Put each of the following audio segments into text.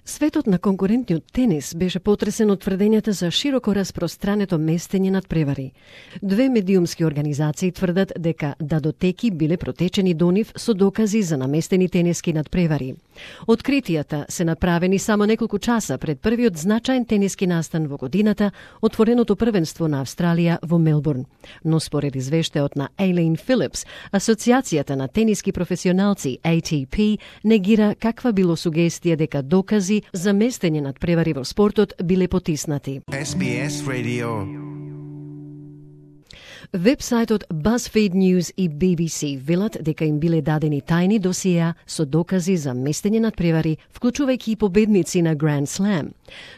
Светот на конкурентниот тенис беше потресен од тврдењата за широко распространето местење надпревари. Две медиумски организации тврдат дека дадотеки биле протечени до нив со докази за наместени тениски надпревари. Откритијата се направени само неколку часа пред првиот значаен тениски настан во годината, отвореното првенство на Австралија во Мелбурн. Но според извештајот на Elaine Phillips, Асоциацијата на тениски професионалци ATP негира каква било сугестија дека докази за местење надпревари во спортот биле потиснати. SBS Radio. Вебсајтот BuzzFeed News и BBC велат дека им биле дадени тајни досиеа со докази за местење надпревари, вклучувајќи и победници на Grand Slam.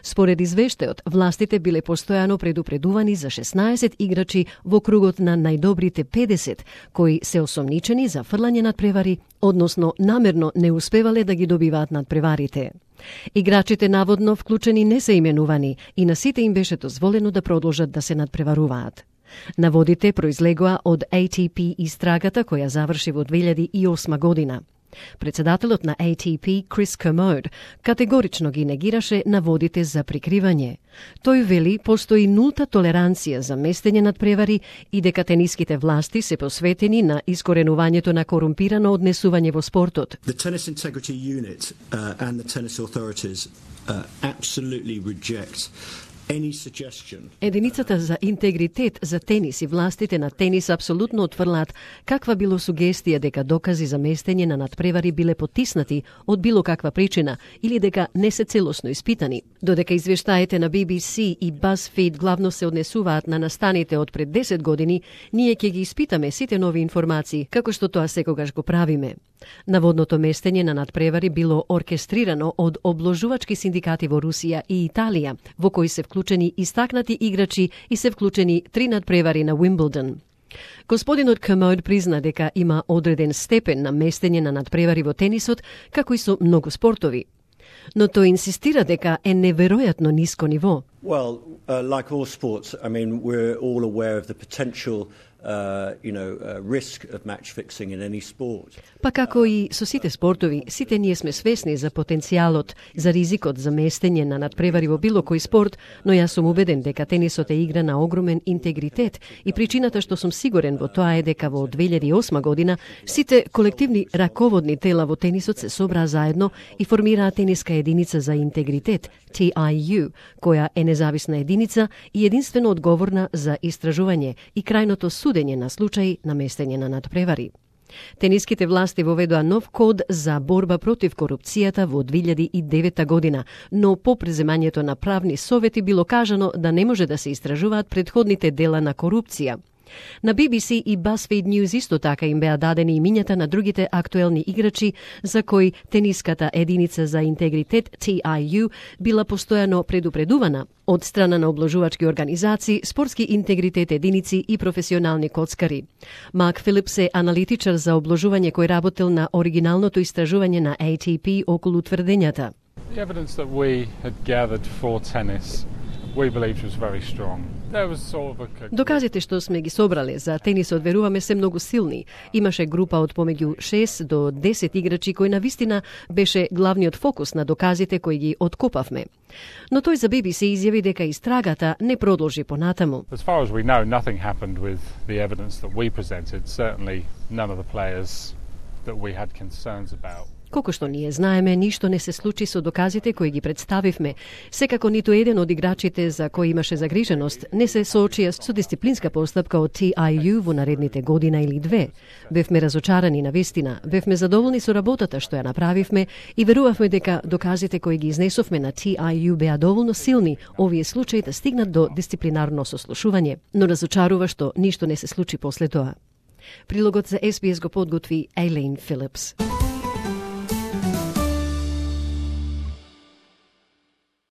Според извештајот, властите биле постојано предупредувани за 16 играчи во кругот на најдобрите 50, кои се осомничени за фрлање надпревари, односно намерно не успевале да ги добиваат надпреварите. Играчите наводно вклучени не се именувани и на сите им беше дозволено да продолжат да се надпреваруваат. Наводите произлегоа од ATP истрагата која заврши во 2008 година. Председателот на ATP, Крис Kermode, категорично ги негираше наводите за прикривање. Тој вели постои нулта толеранција за местење надпревари и дека тениските власти се посветени на искоренувањето на корумпирано однесување во спортот. The Tennis Integrity Unit and the tennis authorities absolutely reject Единицата за интегритет за тенис и властите на тенис апсолутно отфрлаат каква било сугестија дека докази за местење на надпревари биле потиснати од било каква причина или дека не се целосно испитани. Додека извештаите на BBC и BuzzFeed главно се однесуваат на настаните од пред 10 години, ние ќе ги испитаме сите нови информации, како што тоа секогаш го правиме. Наводното местење на надпревари било оркестрирано од обложувачки синдикати во Русија и Италија, во кои се вклучени истакнати играчи и се вклучени 3 надпревари на Уимблдон. Господинот Kermode призна дека има одреден степен на местење на надпревари во тенисот, како и со многу спортови. Но тој инсистира дека е неверојатно ниско ниво. Well, like all sports, I mean, we're all aware of the potential risk of match fixing in any sport. Па како и со сите спортови, сите ние сме свесни за потенцијалот, за ризикот за местење на надпревари во било кој спорт, но јас сум убеден дека тенисот е игра на огромен интегритет и причината што сум сигурен во тоа е дека во 2008 година сите колективни раководни тела во тенисот се собраа заедно и формираа тениска единица за интегритет, TIU, која е независна единица и единствено одговорна за истражување и крајното судење на случаи на местење на надпревари. Тениските власти воведоа нов код за борба против корупцијата во 2009 година, но по преземањето на правни совети било кажано да не може да се истражуваат претходните дела на корупција. На BBC и BuzzFeed News исто така им беа дадени имињата на другите актуелни играчи за кои тениската единица за интегритет TIU била постојано предупредувана од страна на обложувачки организации, спортски интегритет единици и професионални коцкари. Марк Филипс е аналитичар за обложување кој работел на оригиналното истражување на ATP околу тврдењата. The evidence that we had gathered for tennis we believed was very strong. Доказите што сме ги собрале за тенисот веруваме се многу силни. Имаше група од помеѓу 6 до 10 играчи кој навистина беше главниот фокус на доказите кои ги откопавме. Но тој за BBC изјави дека истрагата не продолжи понатаму. As far as we know, nothing happened with the evidence that we presented. Certainly none of the players that we had concerns about. Колку што ние знаеме, ништо не се случи со доказите кои ги представивме. Секако ниту еден од играчите за кои имаше загриженост не се соочија со дисциплинска постапка од TIU во наредните година или две. Бевме разочарани на вистина, бевме задоволни со работата што ја направивме и верувавме дека доказите кои ги изнесовме на TIU беа доволно силни овие случаи да стигнат до дисциплинарно сослушување. Но разочарува што ништо не се случи после тоа. Прилогот за SBS го подготви Elaine Phillips.